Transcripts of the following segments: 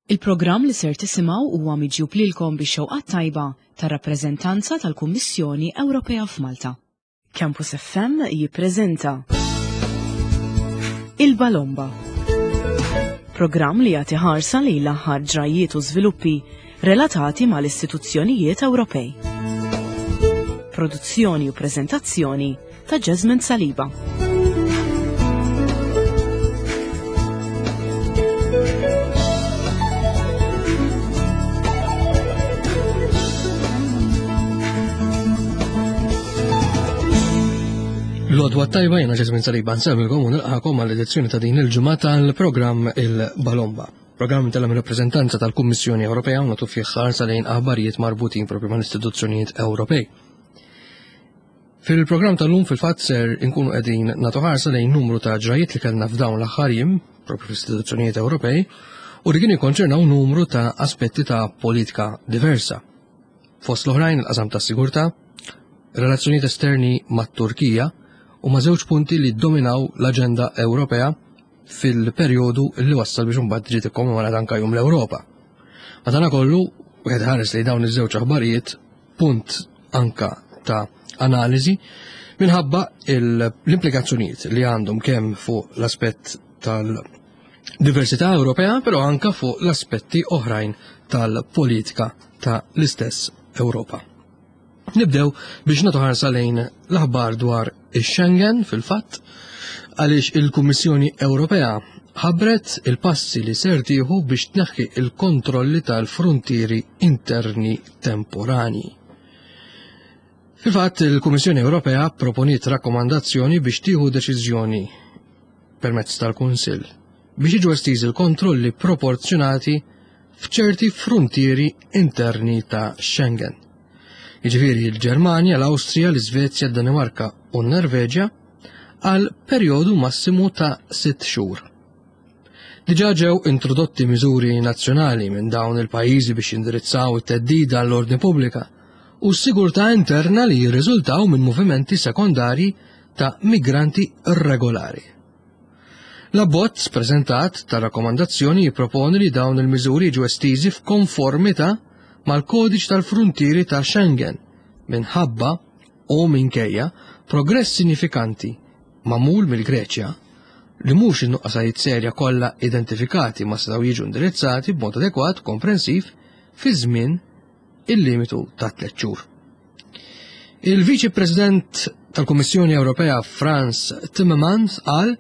Il-programm li ser tisimgħu huwa miġjub lilkom bix-xewqat tajba tar-rappreżentanza tal-Kummissjoni Ewropea f'Malta. Campus FM jippreżenta Il-Balomba. Programm li jagħti ħarsa lejn l-aħħar ġrajjiet u żviluppi relatati mal-istituzzjonijiet Ewropej. Produzzjoni u preżentazzjoni ta' Jasmine Saliba. L-odwa tajba jena Jasmine Saliba nsemmilkom u nilqakom għall-edizzjoni ta' din il-ġimgħa tal-programm Il-Balomba. Programm tal rappreżentanza tal-Kummissjoni Ewropea u nagħtu fih ħarsa lejn aħbarijiet marbutin propju mal-istituzzjonijiet Ewropej. Fil-programm tal-lum fil-fatt ser inkunu qegħdin nagħtu ħarsa lejn numru ta' ġrajiet li kellna f'dawn l-aħħar jiem, propju fl-istituzzjonijiet Ewropej, u li kienu jikkonċernaw numru ta' aspetti ta' politika diversa. Fost l-oħrajn il-qasam ta' sigurtà, relazzjonijiet esterni mat-Turkija u ma' żewġ punti li dominaw l-aġenda Ewropea fil-perjodu li wassal biex imbagħad ġiet ikkommemorat anke Jum l-Ewropa. Madankollu, wieħed ħares li dawn iż-żewġ aħbarijiet punt anka ta' analiżi minħabba l-implikazzjonijiet li għandhom kemm fuq l-aspett tal-diversità Ewropea, però anka fuq l-aspetti oħrajn tal-politika ta' l-istess Ewropa. Nibdew biex nagħtu ħarsa lejn l-aħbar dwar ix-Schengen fil-fatt għaliex il-Kummissjoni Ewropea ħabbret il-passi li ser tieħu biex tneħħi il-kontrolli tal-fruntieri interni temporani. Fil-fatt, il-Kummissjoni Ewropea proponiet rakkomandazzjoni biex tieħu deċiżjoni permezz tal-Kunsill biex jiġu estiżi l-kontrolli proporzjonati f'ċerti fruntieri interni ta' Schengen. Jiġifieri l-Ġermanja, l-Awstrija, l-Iżvezja, d-Danimarka u n-Norveġja għal perjodu massimu ta' sitt xhur. Diġà ġew introdotti miżuri nazzjonali minn dawn il-pajjiżi biex jindirizzaw it-theddida għall-ordni pubblika u s-sigurtà interna li jirriżultaw minn movimenti sekondarji ta' migranti irregolari. L-abbozz preżentat ta' rakkomandazzjoni jipproponi li dawn il-miżuri jiġu estiżi f'konformità mal-kodiċ tal-fruntieri ta' Schengen minħabba u minkejja progress sinifikanti magħmul mill-Greċja li mhux in-nuqqasajiet serja kollha identifikati ma setgħu jiġu indirizzati b'mod adekwat u komprensiv fi żmien il-limitu ta' tliet xhur. Il-Viċi President tal-Kummissjoni Ewropea Frans Timmermans qal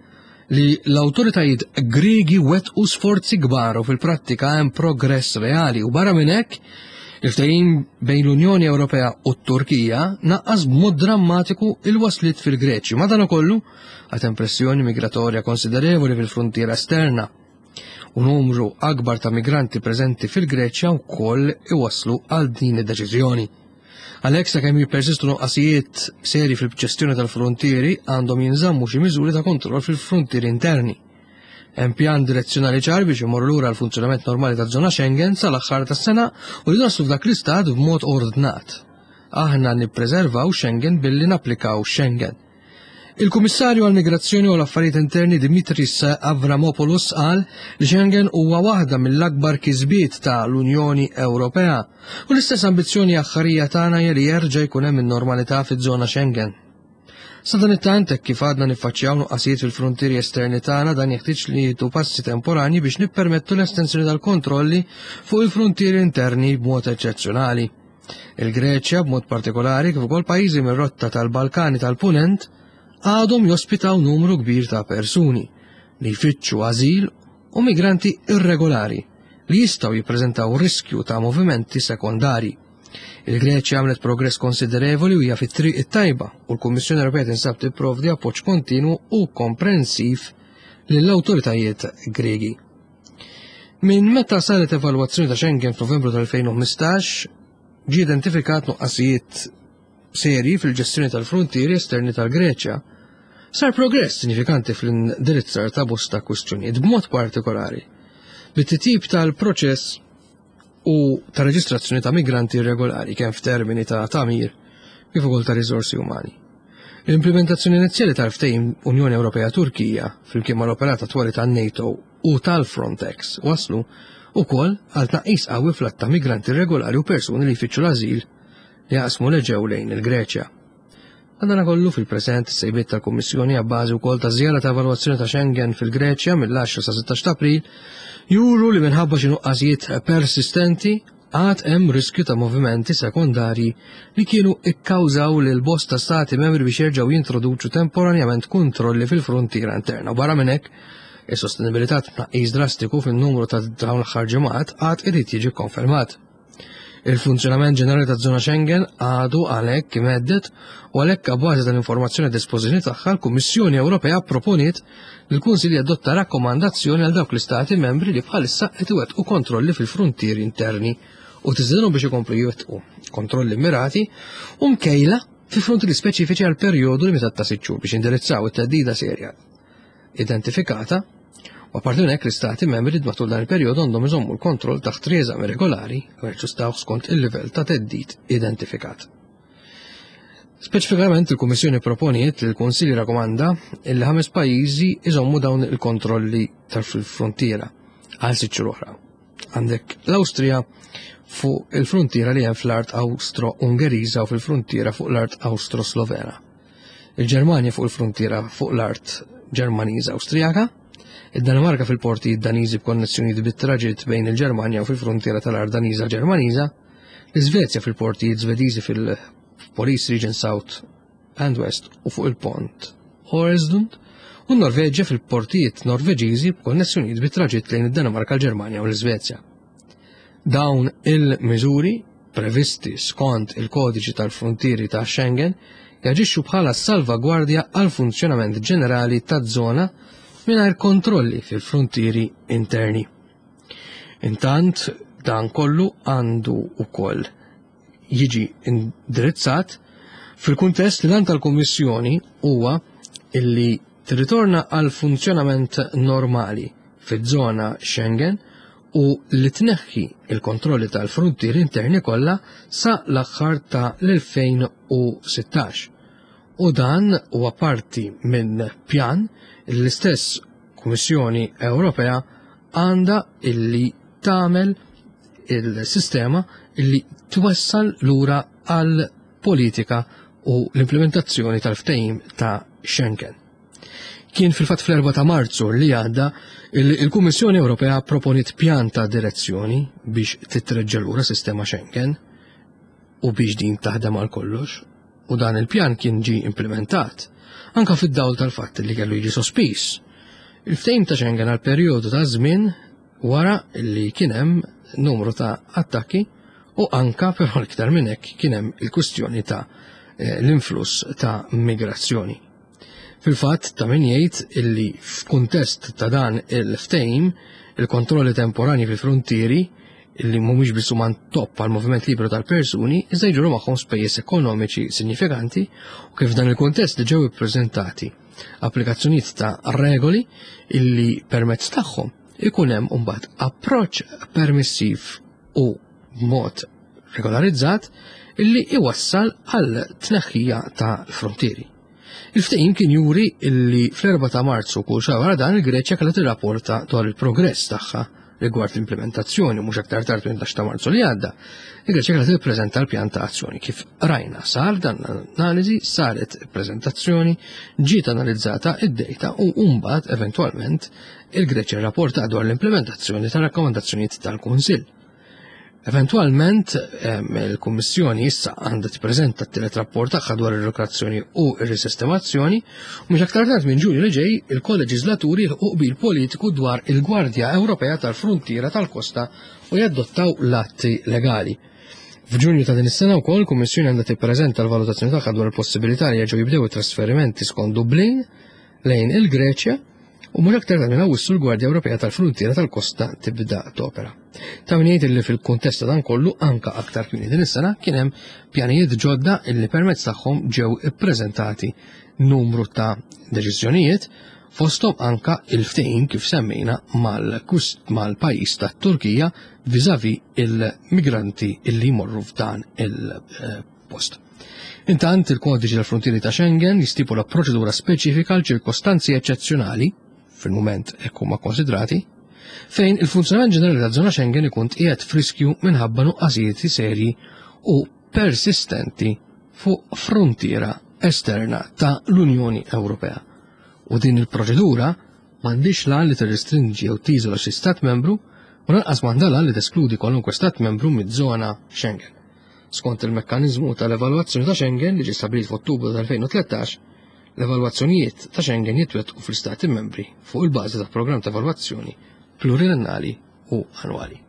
li l-awtoritajiet Griegi wettqu sforzi kbar u fil-prattika hemm progress reali u barra minn hekk il-ftehim bejn l-Unjoni Ewropea u t-Turkija naqqas b'mod drammatiku il-wasliet fil-Greċja. Madankollu għad hemm pressjoni migratorja konsiderevoli fil-fruntiera esterna u numru akbar ta' migranti preżenti fil-Greċja wkoll iwasslu għal din id-deċiżjoni. Għalhekk sakemm jippersistu nuqqasijiet seri fil-ġestjoni tal-fruntieri għandhom jinżammu xi miżuri ta' kontroll fil-fruntieri interni. Hemm pjan direzzjonali ċar biex imorru lura l-funzjonament normali taż-żona Schengen sal-aħħar tas-sena u li naslu f'dak l-istat b'mod ordnat. Aħna nippreservaw Schengen billi napplikaw Schengen. Il-Kummissarju għall-Migrazzjoni u l-Affarijiet Interni Dimitris Avramopoulos qal li Schengen huwa waħda mill-akbar kisbiet ta' l-Unjoni Ewropea u l-istess ambizzjoni aħħarija tagħna hija li jerġa' jkun hemm in-normalità fiż-żona Schengen. Sadanittant, hekk kif għadna niffaċċjaw nuqqasijiet fil-fruntieri esterni tagħna dan jeħtieġ li jieħdu passi temporanji biex nippermettu l-estensjoni tal-kontrolli fuq il-fruntieri interni b'mod eċċezzjonali. Il-Greċja b'mod partikolari kif ukoll pajjiżi mir-rotta tal-Balkani tal-Punent għadhom jospitaw numru kbir ta' persuni li jfittxu ażil u migranti irregolari li jistgħu jippreżentaw riskju ta' movimenti sekondari. Il-Greċja għamlet progress konsiderevoli u hija fit-triq it-tajba u l-Kummissjoni Ewropea tinsab tipprovdi appoġġ kontinwu u komprensiv lill-awtoritajiet Griegi. Minn meta saret evalwazzjoni ta' Schengen f'Novembru tal-2015, ġie identifikat nuqqasijiet serji fil-ġestjoni tal-fruntieri esterni tal-Greċja. Sar progress sinifikanti fl-indirizzar ta' bosta kwistjonijiet b'mod partikolari bit-titjib tal-proċess u ta' reġistrazzjoni ta' migranti irregolari kemm f'termini ta' tagħmir kif ukoll ta' riżorsi umani. L-implementazzjoni inizjali tal-ftehim Unjoni Ewropea Turkija flimkien mal-operat attwali tan-NATO u tal-Frontex waslu. ukoll għal tnaqqis qawwi fl-għadd ta' migranti irregolari u persuni li jfittxu l-ażil li jaqsmu l-Eġew lejn il-Greċja. Madanakollu fil-preżent is-sejbiet tal-Kummissjoni abbażi wkoll ta' żjara ta' evalwazzjoni ta' Schengen fil-Greċja mill-10 sa 16 ta' April juru li minħabba xi nuqqasijiet persistenti għad hemm riskju ta' movimenti sekondarji li kienu ikkawżaw lil bosta stati membri biex jerġgħu jintroduċu temporanjament kontrolli fil-fruntiera interna. U barra minn hekk, is-sostenibilità tnaqqis drastiku fin-numru ta' dawn l-aħħar ġimgħat għad irid jiġi kkonfermat. Il-funzjonament ġenerali taż-żona Schengen għadu għalhekk imhedded u għalhekk abbażi tal-informazzjoni a dispożizzjoni tagħha l-Kummissjoni Ewropea pproponiet li l-Kunsill jadotta rakkomandazzjoni għal dawk l-istati membri li bħalissa qed iwettqu kontrolli fil-fruntieri interni u tiżdinhom biex ikomplu jwettqu kontrolli mirati u mkejla fi fruntieri speċifiċi għal perjodu limitat ta' sitt xhur biex jindirizzaw it-theddida serja identifikata u apparti minn hekk l-istati membri matul dan il-perjodu għandhom iżommu l-kontroll taħt rieżami regolari u jaġġustaw skont il-livell ta' theddid identifikat. Speċifikament il-Kummissjoni proponiet li l-Kunsill jirrakkomanda li ħames pajjiżi iżommu dawn il-kontrolli tal-frontiera għal sitt xhur oħra. Għandek l-Awstrija fuq il-frontiera li hemm fl-art Awstro-Ungeriża u fil-frontiera fuq l-art Awstro-Slovena. Il-Ġermanja fuq il-fruntiera fuq l-art Ġermaniża Awstrijaka, id-Danimarka fil-portijiet Daniżi b'konnessjonijiet bit-traġitt bejn il-Ġermanja u fil-fruntiera tal-art Daniża Ġermaniża, l-Iżvezja fil-portijiet Żvediżi fil-Police Region South and West u fuq il-pont Øresund, u n-Norveġja fil-portijiet Norveġiżi b'konnessjonijiet bit-traġitt lejn id-Danimarka, l-Ġermanja u l-Iżvezja. Dawn il-miżuri previsti skont il-Kodiċi tal-Fruntieri ta' Schengen jaġixxu bħala salvagwardja għall-funzjonament ġenerali taż-żona mingħajr kontrolli fil-fruntieri interni. Intant, dan kollu għandu wkoll jiġi indirizzat fil-kuntest li l-għan tal-Kummissjoni huwa illi tirritorna għal funzjonament normali fiż-żona Schengen u li tneħħi l-kontrolli tal-fruntieri interni kollha sa l-aħħar ta' l-2016. U dan huwa parti minn pjan li l-istess Kummissjoni Ewropea għandha illi tagħmel il-sistema illi twassal lura għal politika u l-implementazzjoni tal-ftehim ta' Schengen. Kien fil-fatt fl-4 ta' Marzu li għadda il-Kummissjoni Ewropea proponiet pjan ta' direzzjoni biex titreġġa' lura sistema Schengen u biex din taħdem għal kollox u dan il-pjan kien ġi implementat anka fid-dawl tal-fatt li kellu jiġi sospiż. Il-ftehim ta' Schengen għal perjodu ta' żmien wara li kien hemm numru ta' attakki u anka però l-iktar minn hekk kien hemm il-kwistjoni ta' eh, l-influss ta' migrazzjoni. Fil-fatt, ta' min jgħid illi f'kuntest ta' dan il-ftehim, il-kontrolli temporanji fil-fruntieri, illi mhumiex biss huma topp għal moviment liberu tal-persuni, iżda jġorru magħhom spejjeż ekonomiċi sinjifikanti u kif f'dan il-kuntest li ġew ippreżentati applikazzjonijiet ta' regoli illi permezz tagħhom ikun hemm imbagħad approċċ permissiv u b'mod regolarizzat illi iwassal għal tneħħija ta' frontieri. Il-ftehim kien juri illi fl-4 ta' Marzu kull xahar wara dan il-Greċja kellha tirrapporta dwar il-progress tagħha rigward l-implementazzjoni mhux aktar tard minn 11 ta' Marzu li għadda. Il-Greċja kellha tippreżenta l-pjan ta' azzjoni kif rajna sar dan l-analiżi, saret prezentazzjoni, ġiet analizzata id-data u mbagħad eventwalment il-Greċja rrapporta dwar l-implementazzjoni tar-rakkomandazzjonijiet tal-Kunsill. Eventwalment, il-Kummissjoni issa għandha tippreżenta t-tielet rapport tagħha dwar ir-rikrazzjoni u r-risistemazzjoni, u mhux aktar tard minn Ġunju li ġej il-koleġislaturi jilħqu qbil politiku dwar il-Gwardja Ewropea tal-Fruntiera tal-Kosta u jadottaw l-atti legali. F'Ġunju ta' din is-sena wkoll il-Kummissjoni għandha tippreżenta l-valutazzjoni tagħha dwar il-possibilità li jerġgħu jibdew it-trasferimenti skont Dublin lejn il-Greċja u mhux aktar tard minn Awwissu l-Gwardja Ewropea tal-Fruntiera tal-Kosta tibda topera. Ta' min jgħid li fil-kuntest ta' dan kollu anka aktar kmieni din is-sena kien hemm pjanijiet ġodda illi permezz tagħhom ġew ippreżentati numru ta' deċiżjonijiet fosthom anka il-ftehim kif semmejna mal-pajjiż tat-Turkija viżavi il-migranti illi jmorru f'dan il-post. Intant, il-kodiċi tal-frontieri ta' Schengen jistipula proċedura speċifika għal ċirkostanzi eċċezzjonali, fil-mument hekk huma konsidrati. Fejn il-funzjonament ġenerali taż-żona Schengen ikun tqiegħed f'riskju minħabba nuqqasijiet serji u persistenti fuq fruntiera esterna ta' l-Unjoni Ewropea. U din il-proċedura m'għandhiex l-għan li tirrestrinġi jew tiżola xi stat membru u lanqas m'għandha l-għan li teskludi kwalunkwe stat membru miż-żona Schengen. Skont il-mekkaniżmu tal-evalwazzjoni ta' Schengen li ġie stabbilit f'Ottubru tal-2013, l-evalwazzjonijiet ta' Schengen jitwettqu fl-istati membri fuq il-bażi ta' programm ta' evalwazzjoni pluriennali u annwali.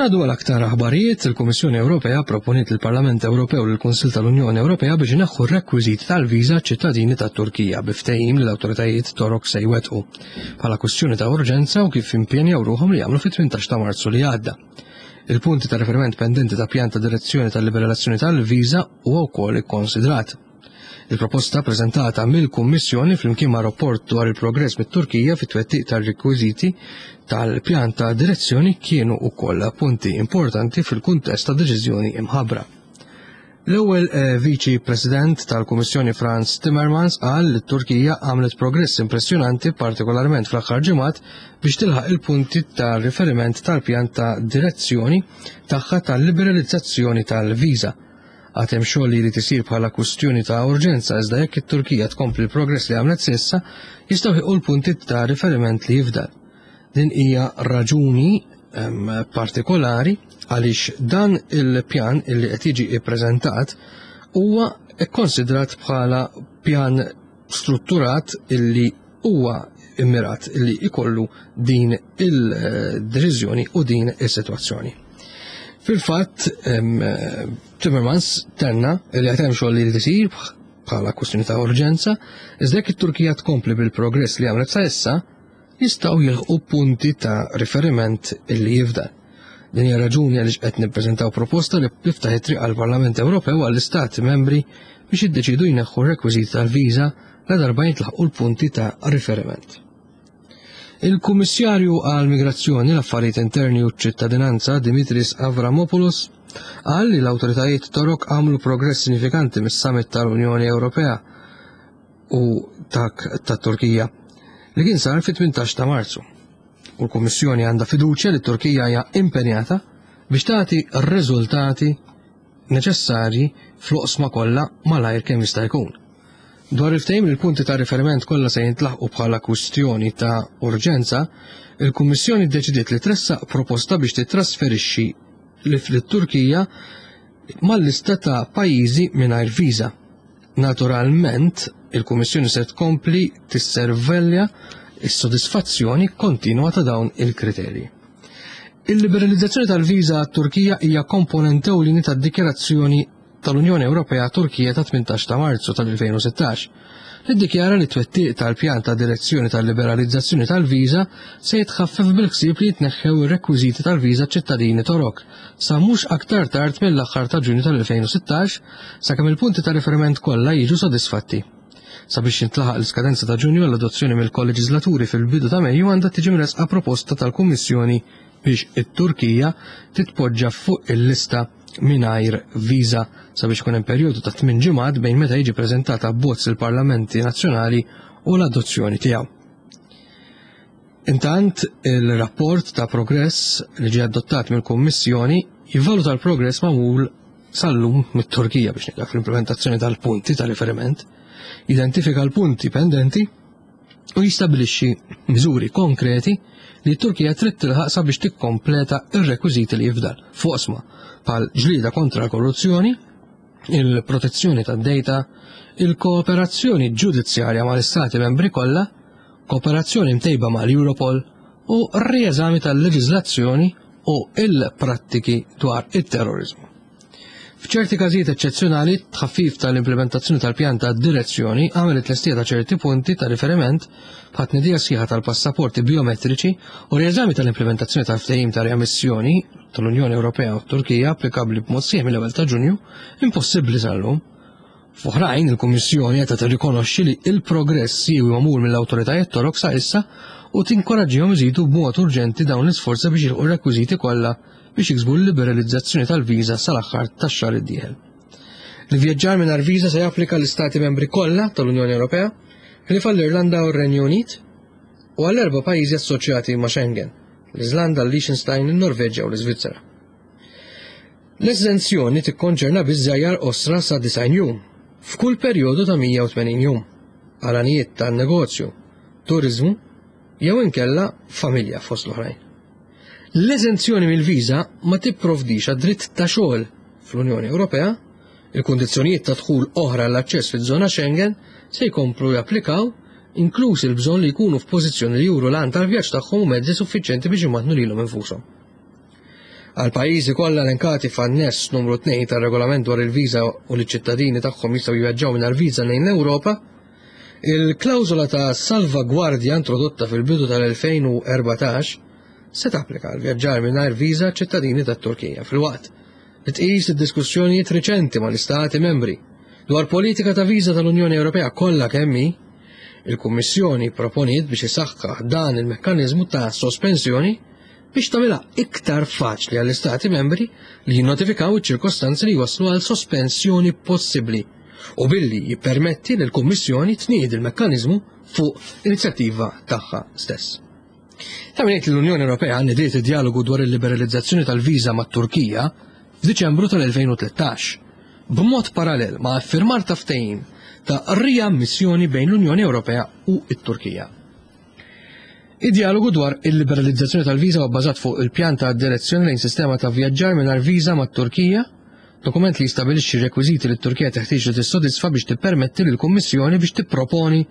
Ngħaddu għal aktar aħbarijiet, il-Kummissjoni Ewropea proponiet lill-Parlament Ewropew u lill-Kunsill tal-Unjoni Ewropea biex ineħħu r-rekwiżiti tal-viża ċittadini tat-Turkija bi ftehim li l-awtoritajiet Torok se jwettqu bħala kwistjoni ta' urġenza u kif impenjaw ruħhom li jagħmlu fit-18 ta' Marzu li għadda. Il-punti ta' riferiment pendenti ta' pjan ta' direzzjoni tal-liberazzjoni tal-viża huwa wkoll ikkonsidrat. Il-proposta preżentata mill-Kummissjoni flimkien ma' rapport dwar il-progress mit-Turkija fit-twettiq tar-rekwiżiti tal-pjan ta' direzzjoni kienu wkoll punti importanti fil-kuntest ta' deċiżjoni imħabbra. L-ewwel eh, Viċi President tal-Kummissjoni Frans Timmermans qal li t-Turkija għamlet progress impressjonanti partikolarment fl-aħħar ġimgħat biex tilħaq il-punti ta' riferiment tal-pjan ta' direzzjoni tagħha tal-liberalizzazzjoni tal-viża. Għad hemm xogħol li jrid isir bħala kwistjoni ta' urġenza iżda jekk it-Turkija tkompli l-progress li għamlet s'issa, jistgħu jilħqu l-punti ta' riferiment li jifdal. Din hija raġuni partikolari għaliex dan il-pjan li qed jiġi ppreżentat huwa kkonsidrat bħala pjan strutturat illi huwa immirat illi ikollu din il-deċiżjoni u din is-sitwazzjoni. Fil-fatt, Timmermans tenna li qed hemm xogħol li jrid isir bħala kwistjoni ta' urġenza, iżda jekk it-Turkija tkompli bil-progress li għamlet sa issa, jistgħu jilħqu punti ta' riferiment illi jifdal. Din hija raġuni għaliex qed nippreżentaw proposta li tiftaħ it-triq għall-Parlament Ewropew għall-Istati membri biex jiddeċidu jneħħu r-rekwiżiti tal-viża ladarba jintlaħqu l-punti ta' riferiment. Il-Kummissarju għall-Migrazzjoni, l-Affarijiet Interni u ċ-Ċittadinanza Dimitris Avramopoulos qal li l-awtoritajiet Torok għamlu progress sinifikanti mis-summit tal-Unjoni Ewropea u dak tat-Turkija li kien sar fit-18 ta' Marzu. U l-Kummissjoni għandha fiduċja li t-Turkija hija impenjata biex tagħti r-riżultati neċessarji fl-oqsma kollha malajr kemm jista' jkun. Dwar il-ftehim li l-punti ta' riferiment kollha se jintlaħqu bħala kwistjoni ta' urġenza, il-Kummissjoni ddeċidiet li tressaq proposta biex titrasferixxi lit-Turkija mal-lista ta' pajjiżi mingħajr viża. Naturalment, il-Kummissjoni se tkompli tisservelja s-sodisfazzjoni kontinwa ta' dawn il-kriterji. Il-liberalizzazzjoni tal-viża għat-Turkija hija komponent ewlieni tad-Dikjarazzjoni tal-Unjoni Ewropea Turkija ta' 18 ta' Marzu tal-2016, li ddikjara li t-twettiq tal-pjan ta' direzzjoni tal-liberalizzazzjoni tal-viża se jitħaffef bil-ħsieb li jitneħħew ir-rekwiżiti tal-viża ċittadini Torok sa mhux aktar tard mill-aħħar ta' Ġunju tal-2016 sakemm il-punti ta' riferiment kollha jiġu sodisfatti. Sabiex jintlaħaq l-iskadenza ta' Ġunju għall-adozzjoni mill-koleġislaturi fil-bidu ta' Mejju għandha tiġi mressqa proposta tal-Kummissjoni biex it-Turkija titpoġġa fuq il-lista mingħajr viża sabiex ikun hemm perjodu ta' tmien ġimgħat bejn meta jiġi preżentat abbozz il-parlamenti nazzjonali u l-adozzjoni tiegħu. Intant, il-rapport ta' progress li ġie adottat mill-Kummissjoni jivvaluta l-progress magħmul sal-lum mit-Turkija biex nibda fl-implementazzjoni tal-punti ta' riferiment, identifika l-punti pendenti u jistabilixxi miżuri konkreti li t-Turkija trid tilħaq sabiex tikkompleta r-rekwiżiti li jifdal fuq oqsma bħal ġlieda kontra l-korruzzjoni, il-protezzjoni tad-data, il-kooperazzjoni ġudizzjarja mal-istati membri kollha, kooperazzjoni mtejba mal-Europol u rieżami tal-leġiżlazzjoni u il-prattiki dwar it-terrorizmu. F'ċerti każijiet eċċezzjonali, tħaffif tal-implementazzjoni tal-pjan ta' direzzjoni għamel it-tlestija ta' ċerti punti ta' riferiment bħat tnedija sħiħa tal-passaporti biometriċi u rieżami tal-implementazzjoni tal-ftehim ta' riammissjoni tal-Unjoni Ewropea u t-Turkija applikabbli b'mod sħiħ mill-ewwel ta' Ġunju impossibbli sal-lum. F'oħrajn, il-Kummissjoni qed tirrikonoxxi li l-progress siewi magħmul mill-awtoritajiet Torok sa issa u tinkoraġġihom iżidu b'mod urġenti dawn l-isforzi biex jilħqu r-rekwiżiti kollha biex jiksbu l-liberalizzazzjoni tal-viża sal-aħħar tax-xahar id-dieħel. L-ivvjaġġar mingħajr viża se japplika l-Istati membri kollha tal-Unjoni Ewropea, ħlief għall-Irlanda u r-Renju Unit, u għall-erba' pajjiżi assoċjati ma' Schengen, l-Iżlanda, l-Liechtenstein, in-Norveġja u l-Iżvizzera. L-eżenzjoni tikkonċerna biss żjajjar qosra sa 90 jum, f'kull perjodu ta' 180 jum, għal għanijiet ta' negozju, turiżmu jew inkella familja fost l-oħrajn. L-eżenzjoni mill-viża ma tipprovdix għad-dritt ta' xogħol fl-Unjoni Ewropea, il-kundizzjonijiet ta' dħul oħra għall-aċċess fiż-żona Schengen se jkomplu japplikaw, inkluż il-bżonn li jkunu f'pożizzjoni li juru l-għan tal-vjaġġ tagħhom u mezzi suffiċjenti biex imattnu lilhom infushom. Għall-pajjiżi kollha elenkati f'Anness Numru 2 tar-Regolament dwar il-Viża u li ċ-ċittadini tagħhom jistgħu jivvjaġġaw mingħajr viża lejn l-Ewropa, il-klawżola ta' salvagwardja introdotta fil-bidu tal-2014 se tapplika għal vjaġġar mingħajr viża ċittadini tat-Turkija filwaqt li tqis id-diskussjonijiet riċenti mal-Istati membri dwar politika ta' viża tal-Unjoni Ewropea kollha kemm hi, il-Kummissjoni proponiet biex isaħħaħ dan il-mekkaniżmu ta' sospensjoni biex tagħmilha iktar faċli għall-Istati membri li jinnotifikaw iċ-ċirkostanzi li jwasslu għal sospensjoni possibbli u billi jippermetti li l-Kummissjoni tniedi l-mekkaniżmu fuq inizjattiva tagħha stess. Ta' min jgħid li l-Unjoni Ewropea nediet id-djalogu dwar il-liberalizzazzjoni tal-viża mat-Turkija f'Diċembru tal-2013, b'mod parallel ma' iffirmar ta' ftehim ta' riammissjoni bejn l-Unjoni Ewropea u t-Turkija. Id-djalogu dwar il-liberalizzazzjoni tal-viża huwa bbażat fuq il-pjan ta' direzzjoni lejn sistema ta' vjaġġar mingħajr viża mat-Turkija, dokument li jistabilixxi r-rekwiżiti li t-Turkija teħtieġ li tissodisfa biex tippermetti lill-Kummissjoni biex tipproponi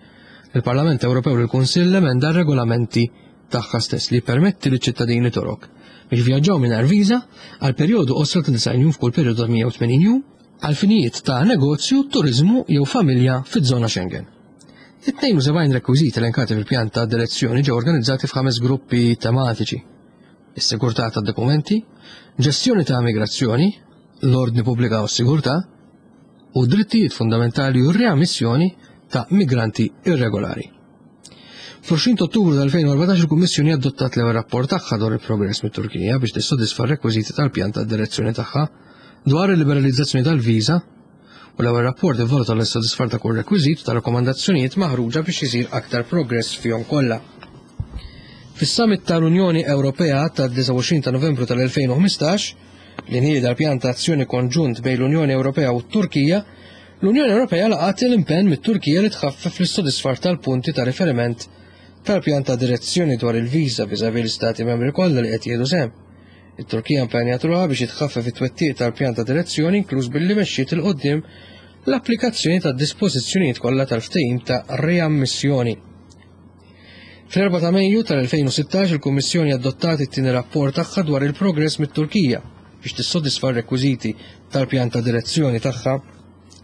lill-Parlament Ewropew u lill-Kunsill l-emenda għar-regolamenti tagħha stess li jippermetti liċ-ċittadini Torok biex jivvjaġġaw mingħajr viża għal perjodu qosra ta' 90 jum f'kull perjodu ta' 180 jum għal finijiet ta' negozju, turiżmu jew familja fiż-żona Schengen. It-72 rekwiżit elenkati fil-pjan ta' direzzjoni ġew organizzati f'ħames gruppi tematiċi: is-sigurtà tad-dokumenti, ġestjoni ta' migrazzjoni, l-ordni pubblika u s-sigurtà, u drittijiet fundamentali u r-riammissjoni ta' migranti irregolari. Fl-20 Ottubru tal-2014 il-Kummissjoni adottat l-ewwel rapport tagħha dwar il-progress mit-Turkija biex tissodisfa r-rekwiżiti tal-pjan ta' direzzjoni tagħha dwar il-liberalizzazzjoni tal-viża u l-ewwel rapport ivvaluta l-issodisfar ta' kull rekwiżit u ta' rakkomandazzjonijiet maħruġa biex isir aktar progress fihom kollha. Fis-Summit tal-Unjoni Ewropea tad-29 ta' Novembru tal-2015, li nieda l-pjan ta' azzjoni konġunt bejn l-Unjoni Ewropea u t-Turkija, l-Unjoni Ewropea laqgħet l-impenn mit-Turkija li tħaffef l-issodisfar tal-punti ta' riferiment tal-pjan ta' direzzjoni dwar il-viża viżavi l-Istati membri kollha li qed jieħdu sehem. It-Turkija impenjat ruħha biex jitħaffef it-twettiq tal-pjan ta' direzzjoni inkluż billi mexxiet 'il quddiem l-applikazzjoni tad-dispożizzjonijiet kollha tal-ftehim ta' riammissjoni. Fl-4 ta' Mejju tal-2016 il-Kummissjoni adottat it-tieni rapport tagħha dwar il-progress mit-Turkija biex tissodisfa r-rekwiżiti tal-pjan ta' direzzjoni tagħha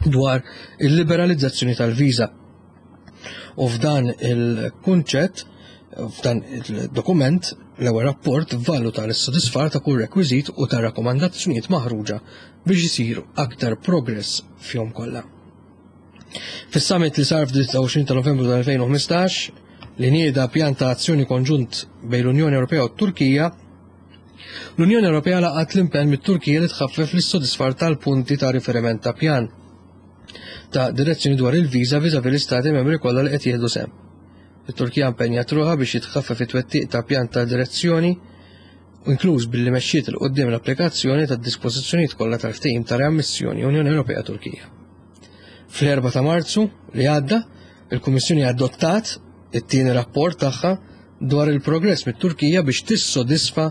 dwar il-liberalizzazzjoni tal-viża. U f'dan il-kunċett, f'dan il-dokument, l-ewwel rapport valuta l-issodisfar ta' kull rekwiżit u ta' rakkomandazzjonijiet maħruġa biex isir aktar progress fihom kollha. Fis-summit li sar f'disgħa ta' Novembru tal-2015 li nieda pjan ta' azzjoni konġunt bejn l-Unjoni Ewropea u t-Turkija, l-Unjoni Ewropea laqat l-impenn mit-Turkija li tħaffef l-issodisfar tal-punti ta' riferiment ta' pjan ta' direzzjoni dwar il-viża viżavi l-istati membri kollha li qed jieħdu sehem. It-Turkija impenjat ruħha biex jitħaffef it-twettiq ta' pjan ta' direzzjoni inkluż billi mexxiet 'il quddiem l-applikazzjoni tad-dispożizzjonijiet kollha tal-Ftehim ta' Riammissjoni Unjoni Ewropea Turkija. Fl-4 ta' Marzu li għadda, il-Kummissjoni adottat it-tieni rapport tagħha dwar il-progress mit-Turkija biex tissodisfa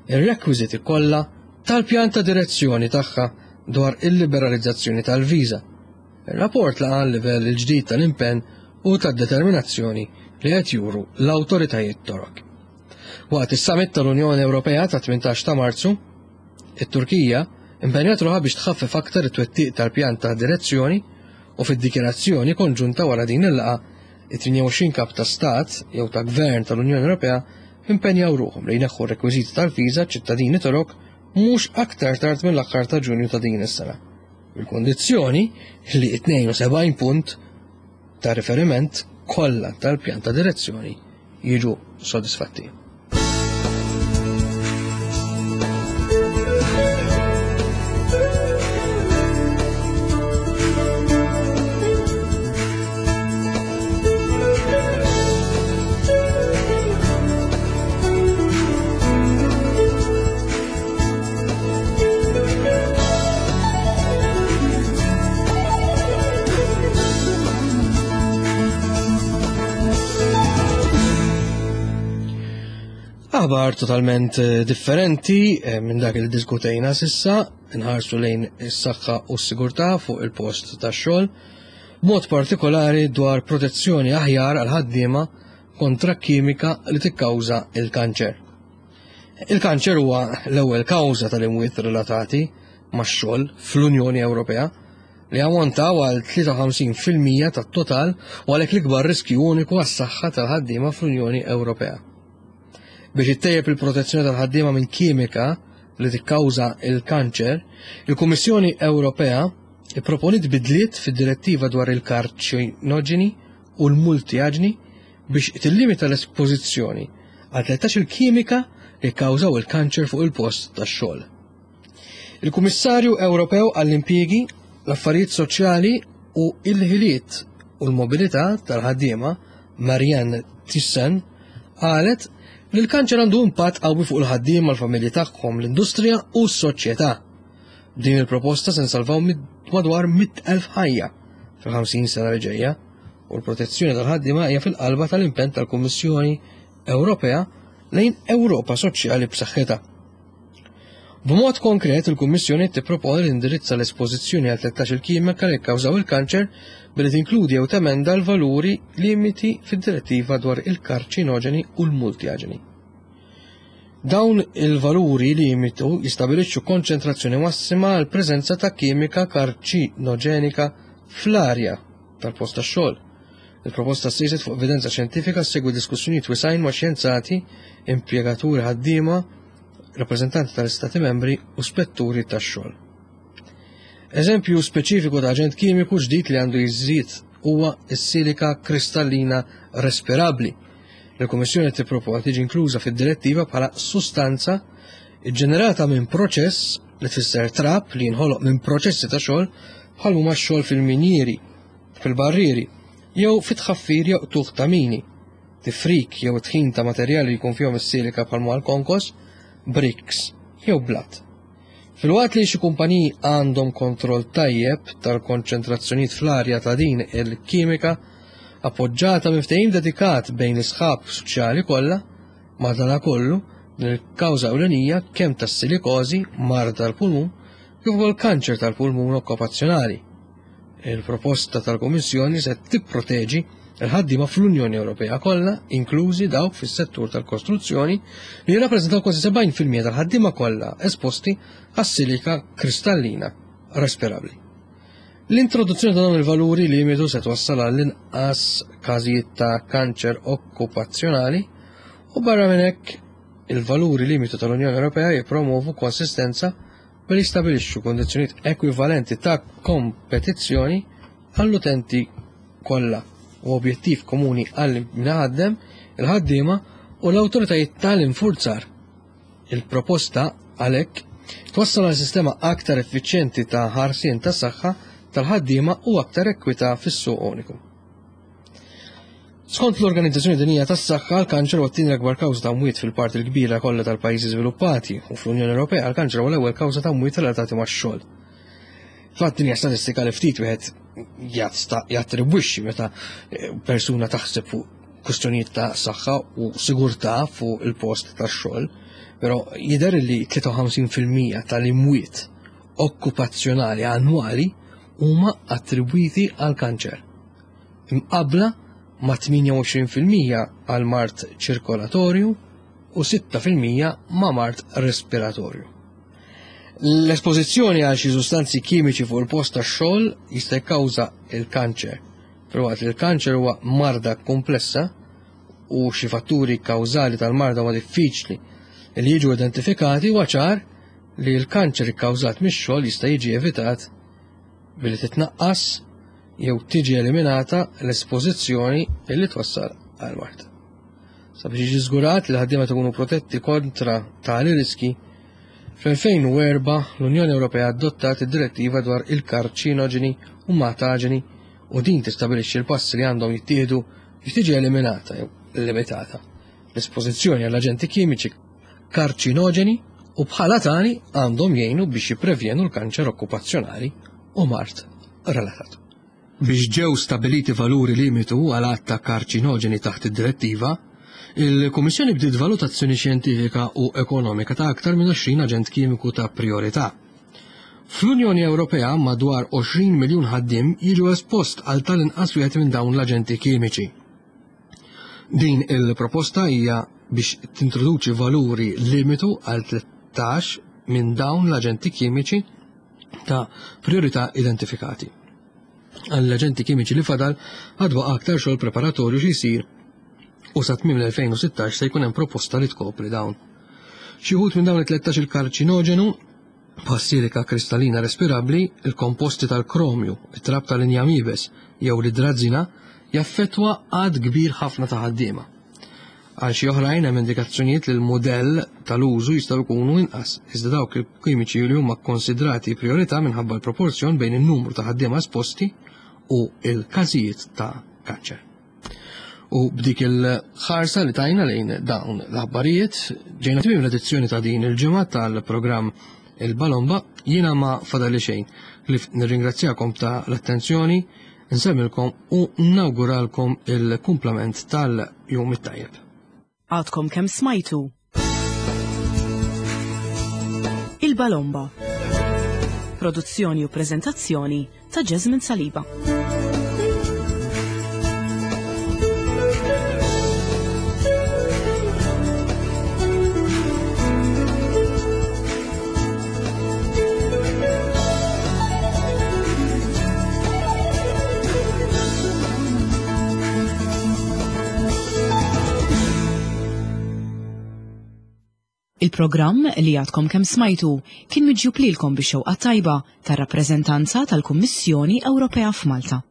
ir-rekwiżiti kollha tal-pjan ta' direzzjoni tagħha dwar il-liberalizzazzjoni tal-viża. Ir-rapport laqa' l-livell il-ġdid tal-impenn u tad-determinazzjoni li qed juru l-awtoritajiet Torok. Waqt is-summit tal-Unjoni Ewropea ta' 18 ta' Marzu, it-Turkija impenjat ruħha biex tħaffef aktar it-twettiq tal-pjan ta' direzzjoni u fid-dikjarazzjoni konġunta wara din il-laqgħa, it-28 kap ta' stat jew ta' gvern tal-Unjoni Ewropea impenjaw ruħhom li jneħħu r-rekwiżiti tal-viża ċittadini Torok mhux aktar tard mill-aħħar ta' Ġunju ta' din is-sena. Bil-kondizzjoni li 72 punt ta' riferiment kollha tal-pjan ta' direzzjoni jiġu sodisfatti. Aħbar totalment eh, differenti eh, minn dak li diskutejna sissa, nħarsu lejn is-saħħa u s-sigurtà fuq il-post tax-xogħol, mod partikolari dwar protezzjoni aħjar għal ħaddiema kontra kimika li tikkawża il-kanċer. Il-kanċer huwa l-ewwel kawża tal-imwiet relatati max-xogħol fl-Unjoni Ewropea li ammontaw għal 53% tat-total u għalhekk l-ikbar riskju uniku għas-saħħa tal-ħaddiema fl-Unjoni Ewropea. Biex ittejjeb il-protezzjoni tal-ħaddiema minn kimika li tikkawża il-kanċer, il-Kummissjoni Ewropea ipproponiet bidliet fid-direttiva dwar il-karċinoġeni u l-multiaġni biex tillimita l-espożizzjoni għal 13 il-kimika li kkawżaw il-kanċer fuq il-post tax-xogħol. Il-Kummissarju Ewropew għall-Impjiegi, l-Affarijiet Soċjali u l-Ħiliet u l-Mobilità tal-Ħaddiema, Marianne Thyssen, qalet li l-kanċer għandu impatt qawwi fuq il-ħaddiema, l-familji tagħhom, l-industrija u s-soċjetà. B'din il-proposta se nsalvaw madwar 100,000 ħajja fil-50 sena li ġejja u l-protezzjoni tal-ħaddiema hija fil-qalba tal-impenn tal-Kummissjoni Ewropea lejn Ewropa soċjali b'saħħitha. B'mod konkret, il-Kummissjoni tipproponi li tindirizza l-espożizzjoni għal 13 il-kimika li kkawżaw il-kanċer billi tinkludi jew temenda l-valuri limiti fid-direttiva dwar il-karċinoġeni u l-multiaġeni. Dawn il-valuri limitu jistabilixxu konċentrazzjoni massima għal preżenza ta' kimika karċinoġenika fl-arja tal-post tax-xogħol. Il-proposta ssejset fuq evidenza xjentifika ssegwi diskussjonijiet wisgħin ma' xjenzati, impjegaturi ħaddiema, rappreżentanti tal-Istati membri u spetturi tax-xogħol. Eżempju speċifiku ta' aġent kimiku ġdid li għandu jiżdied huwa s-silika kristallina respirabbli. Il-Kummissjoni tipproponi tiġi inkluża fid-direttiva bħala sustanza ġġenerata minn proċess li tfisser trab li jinħoloq minn proċessi ta' xogħol bħal huma x-xogħol fil-minjieri, fil-barrieri, jew fit-tħaffir jew qtugħ ta' mini, tifrik jew tħin ta' materjali li jkun fihom is-silika bħal ma l-konkos, bricks jew blat. Filwaqt li xi kumpaniji għandhom kontroll tajjeb tal-konċentrazzjonijiet fl-arja ta' din il-kimika, appoġġata minn ftehim dedikat bejn l-isħab soċjali kollha, madanakollu, din il-kawża ewlenija kemm tas-silikożi, mard tal-pulmun, kif ukoll kanċer tal-pulmun okkupazzjonali. Il-proposta tal-Kummissjoni se tipproteġi l-ħaddiema fl-Unjoni Ewropea kollha, inklużi dawk fis-settur tal-kostruzzjoni, li jirrappreżentaw kważi 70% tal-ħaddiema kollha esposti għas-silika kristallina respirabbli. L-introduzzjoni ta' dawn il-valuri limitu se twassal għal inqas każijiet ta' kanċer okkupazzjonali u barra minn hekk il-valuri limitu tal-Unjoni Ewropea jippromovu konsistenza billi jistabilixxu kondizzjonijiet ekwivalenti ta' kompetizzjoni għall-utenti kollha u objettiv komuni għal min iħaddem, il-ħaddiema u l-awtoritajiet tal-infurzar. Il-proposta għalhekk twassal għal sistema aktar effiċjenti ta' ħarsien tas-saħħa tal-ħaddiema u aktar ekwità fis-suq uniku. Skont l-Organizzazzjoni Dinjija tas-Saħħa, l-kanċer huwa t-tieni l-akbar kawża ta' mwiet fil-parti l-kbira kollha tal-pajjiżi żviluppati u fl-Unjoni Ewropea l-kanċer huwa l-ewwel kawża ta' mwiet relatati max-xogħol. Fatt din hija statistika li ftit wieħed jattribwixxi meta eh, persuna taħseb fuq kwistjonijiet ta' saħħa u sigurtà fuq il-post tax-xogħol, però jidher li 53% tal-imwiet okkupazzjonali annwali huma attribwiti għal kanċer. Imqabbla ma' 28% għal mard ċirkolatorju u 6% ma' mard respiratorju. L-espożizzjoni għal xi sustanzi kimiċi fuq il-post tax-xogħol jista' jikkawża l-kanċer. Filwaqt li l-kanċer huwa marda komplessa u xi fatturi kawżali tal-marda huwa diffiċli li jiġu identifikati, huwa ċar li l-kanċer ikkawżat mix-xogħol jista' jiġi evitat billi titnaqqas jew tiġi eliminata l-espożizzjoni li twassal għal mard. Sabiex jiġi żgurat li l-ħaddiema ikunu protetti kontra tali riski, fl-2004 l-Unjoni Ewropea adottat id-Direttiva dwar il-karċinoġeni u mataġeni u din tistabilixxi l-passi li għandhom jittieħdu biex tiġi eliminata jew limitata l-espożizzjoni għall aġenti kimiċi karċinoġeni u bħala tali għandhom jgħinu biex jipprevjenu l-kanċer okkupazzjonali u mard relatat. Biex ġew stabiliti valuri limitu għal għadd ta' karċinoġeni taħt id-direttiva, il-Kummissjoni bdiet valutazzjoni xjentifika u ekonomika ta' aktar minn 20 aġent kimiku ta' prijorità. Fl-Unjoni Ewropea madwar 20 miljun ħaddiem jiġu espost għal tal-inqas wieħed minn dawn l-aġenti kimiċi. Din il-proposta hija biex tintroduċi valuri limitu għal 13 minn dawn l-aġenti kimiċi ta' priorità identifikati. Għall-aġenti kimiċi li fadal għad baqa' aktar xogħol preparatorju xi jsir u sa tmiem l-2016 se jkun hemm proposta li tkopri dawn. Xi wħud minn dawn it-13 il-karċinoġenu bħas-silika kristallina respirabbli, il-komposti tal-kromju, it-trab tal-injam iebes jew l-idrażina jaffettwa għadd kbir ħafna ta' ħaddiema. Għal xi oħrajn hemm indikazzjonijiet li l-mudell tal-użu jistgħu jkunu inqas, iżda dawk il-kimiċi li huma kkonsidrati prijorità minħabba l-proporzjon bejn in-numru ta' ħaddiema esposti u l-każijiet ta' kanċer. U b'dik il-ħarsa li tajna lejn dawn l-aħbarijiet, ġejna tmiem l-edizzjoni ta' din il-ġimgħa tal-programm Il-Balomba, jiena ma fadali xejn li nirringrazzjakom ta' l-attenzjoni, nsemmilkom u nawguralkom il-kumplament tal-jum it-tajjeb. Għadkom kemm smajtu Il-Balomba. Produzzjoni u preżentazzjoni ta' Jasmine Saliba. Il-programm li għadkom kemm smajtu kien miġjub lilkom bix-xewqa tajba tar-rappreżentanza tal-Kummissjoni Ewropea f'Malta.